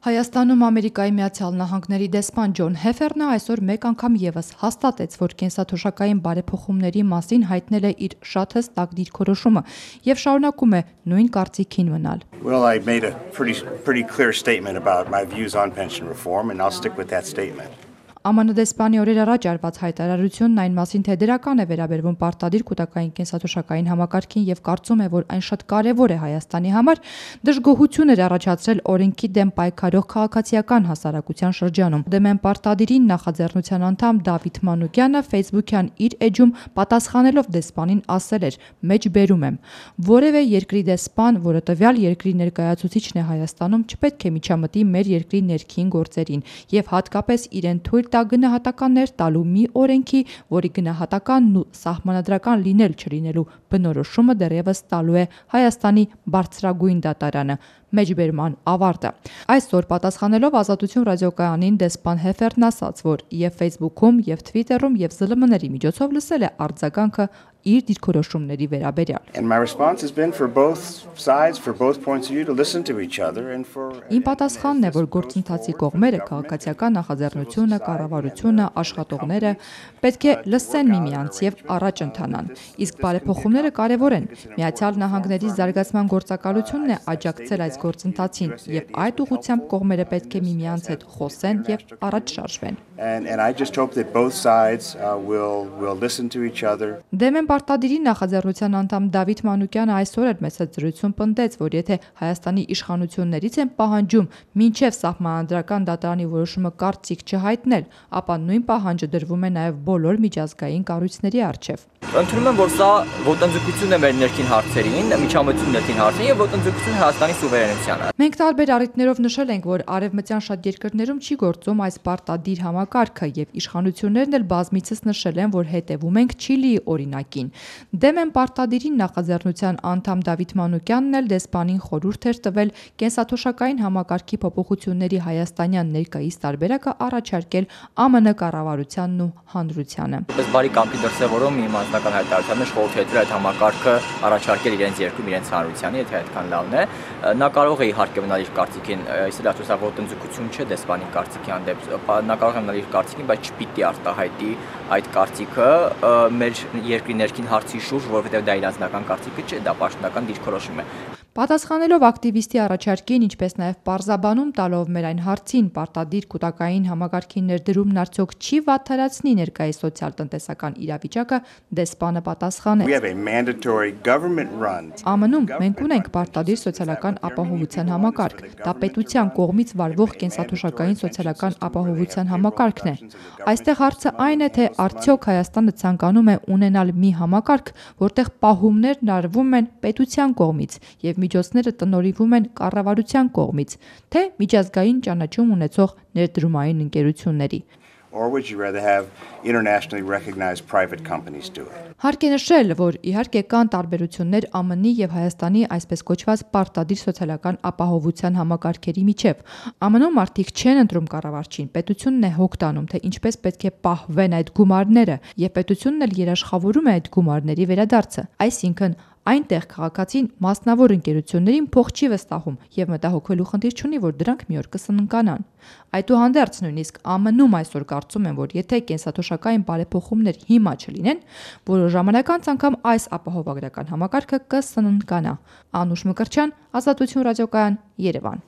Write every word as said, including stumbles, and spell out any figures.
Հայաստանում Ամերիկայի Միացյալ Նահանգների դեսպան Ջոն Հեֆերնը այսօր մեկ անգամ ևս հաստատեց, որ կենսաթոշակային բարեփոխումների մասին հայտնել է իր շատ հստակ դիրքորոշումը և շարունակում է նույն կարծիքին մնալ. Well, I made a pretty, pretty clear statement about my views on pension reform, and I'll stick with that statement. Ամն դեսպանի օրեր առաջ արված հայտարարությունն այն մասին, թե դրական է վերաբերվում պարտադիր կൂട്ടակային կենսաթոշակային համակարգին և կարծում է, որ այն շատ կարևոր է Հայաստանի համար, դժգոհություն էր առաջացրել օրենքի դեմ պայքարող քաղաքացիական հասարակության շրջանում. Դեմ են պարտադիրին նախաձեռնության անդամ Դավիթ Մանուկյանը Facebook-յան իր էջում պատասխանելով դեսպանին ասել էր. «Մեջբերում եմ, որևէ երկրի դեսպան, որը տվյալ երկրի ներկայացուցիչն է Հայաստանում, չպետք է միջամտի մեր երկրի ներքին գործերին և հատկապես իրեն թույլ տա գնահատականներ տալու մի օրենքի, որի գնահատականն ու սահմանադրական լինել չլինելու բնորոշումը դեռևս տալու է Հայաստանի բարձրագույն դատարանը»։ Մեջբերման ավարտը։ Այսօր պատասխանելով Ազատություն ռադիոկայանին դեսպան Հեֆերնն ասաց, որ և Facebook-ում, և Twitter-ում, և զլմ ների միջոցով լսել է արձագանքը իր դիրքորոշումների վերաբերյալ. And my response has been for both sides, for both points of view to listen to each other and for Իմ պատասխանն է, որ գործընթացի կողմերը, քաղաքացիական նախաձեռնությունը, կառավարությունը, աշխատողները պետք է լսեն միմյանց և առաջ ընթանան։ Իսկ բարեփոխումները կարևոր են։ Միացյալ Նահանգների զարգացման գործակալությունն է աջակցել այս գործընթացին և այդ ուղղությամբ կողմերը պետք է միմյանց հետ խոսեն և առաջ շարժվեն։ And and I just hope that both sides uh, will will listen to each other. Դեմ են պարտադիրի նախաձեռնության անդամ Դավիթ Մանուկյանը այսօր էր մեծ զրույցում պնդեց, որ եթե Հայաստանի իշխանություններից են պահանջում մինչև սահմանադրական դատարանի որոշումը կարծիք չհայտնել, ապա նույն պահանջը դրվում է նաև բոլոր միջազգային կառույցների առջև։ Ընդունում եմ, որ սա ոտնձգություն է մեր ներքին հարցերին, միջամտություն ներքին հարցերին և ոտնձգություն Հայաստանի սուվերենությանը։ Մենք տարբեր առիթներով նշել ենք, որ արևմտյան շատ երկրներում չի գործում այս պարտադիր համակարգը և իշխանություններն էլ բազմիցս նշել են, որ հետևում ենք Չիլիի օրինակին։ Դեմ են պարտադիրին նախաձեռնության անդամ Դավիթ Մանուկյանն էլ դեսպանին խորհուրդ էր տվել կենսաթոշակային համակարգի փոփոխությունների հայաստանյան ներկայիս տարբերակը առաջարկել Ա Մ Ն կառավարությանն ու հանրությանը։ Պես բարի կամքի դրսևորում իմ անձնական հայտարարությունն խորհուրդ է տվել այդ համակարգը առաջարկել իրենց երկրում իրենց հանրությանը, եթե այդքան լավն է։ Նա կարող է իհարկե մնալ իր կարծիքին, այսօր ասա ոտնձգություն չէ դեսպանի կարծիքի հանդեպ, նա կարող է մնալ իր կարծիքին, բայց չպիտի արտահայտի այդ կարծիքը մեր երկրի ներքին հարցի շուրջ, որովհետև դա իր անձնական կարծիքը չէ, դա պաշտոնական դիրքորոշում է։ Պատասխանելով ակտիվիստի առաջարկին, ինչպես նաև պարզաբանում տալով մեր այն հարցին պարտադիր կൂട്ടակային համակարգի ներդրումն արդյոք չի վատթարացնի ներկայիս սոցիալ-տնտեսական իրավիճակը, դեսպանը պատասխանեց. We have a mandatory government run. Ա Մ Ն-ում մենք ունենք պարտադիր սոցիալական ապահովության համակարգ։ Դա պետության կողմից վարվող կենսաթոշակային սոցիալական ապահովության համակարգն է։ Այստեղ հարցը այն է, թե արդյոք Հայաստանը ցանկանում է ունենալ մի համակարգ, որտեղ պահումներն արվում են պետության կողմից և միջոցները տնօրինվում են կառավարության կողմից, թե միջազգային ճանաչում ունեցող ներդրումային ընկերությունների։ Or would you rather have internationally recognized private companies do it? Հարկ է նշել, որ իհարկե կան տարբերություններ Ա Մ Ն-ի և Հայաստանի այսպես կոչված պարտադիր սոցիալական ապահովության համակարգերի միջև։ Ա Մ Ն-ում մարդիկ չեն ընտրում կառավարչին, պետությունն է հոգ տանում, թե ինչպես պետք է պահվեն այդ գումարները, և պետությունն էլ երաշխավորում է այդ գումարների վերադարձը։ Այսինքն այնտեղ քաղաքացին մասնավոր ընկերություններին փող չի վստահում և մտահոգվելու խնդիր չունի, որ դրանք մի օր կսննկանան։ Այդուհանդերձ նույնիսկ Ա Մ Ն-ում այսօր կարծում են, որ եթե կենսաթոշակային բարեփոխումներ հիմա չլինեն, որոշ ժամանակ անց անգամ այս ապահովագրական համակարգը կսննկանա։ Անուշ Մկրտչյան, Ազատություն ռադիոկայան, Երևան։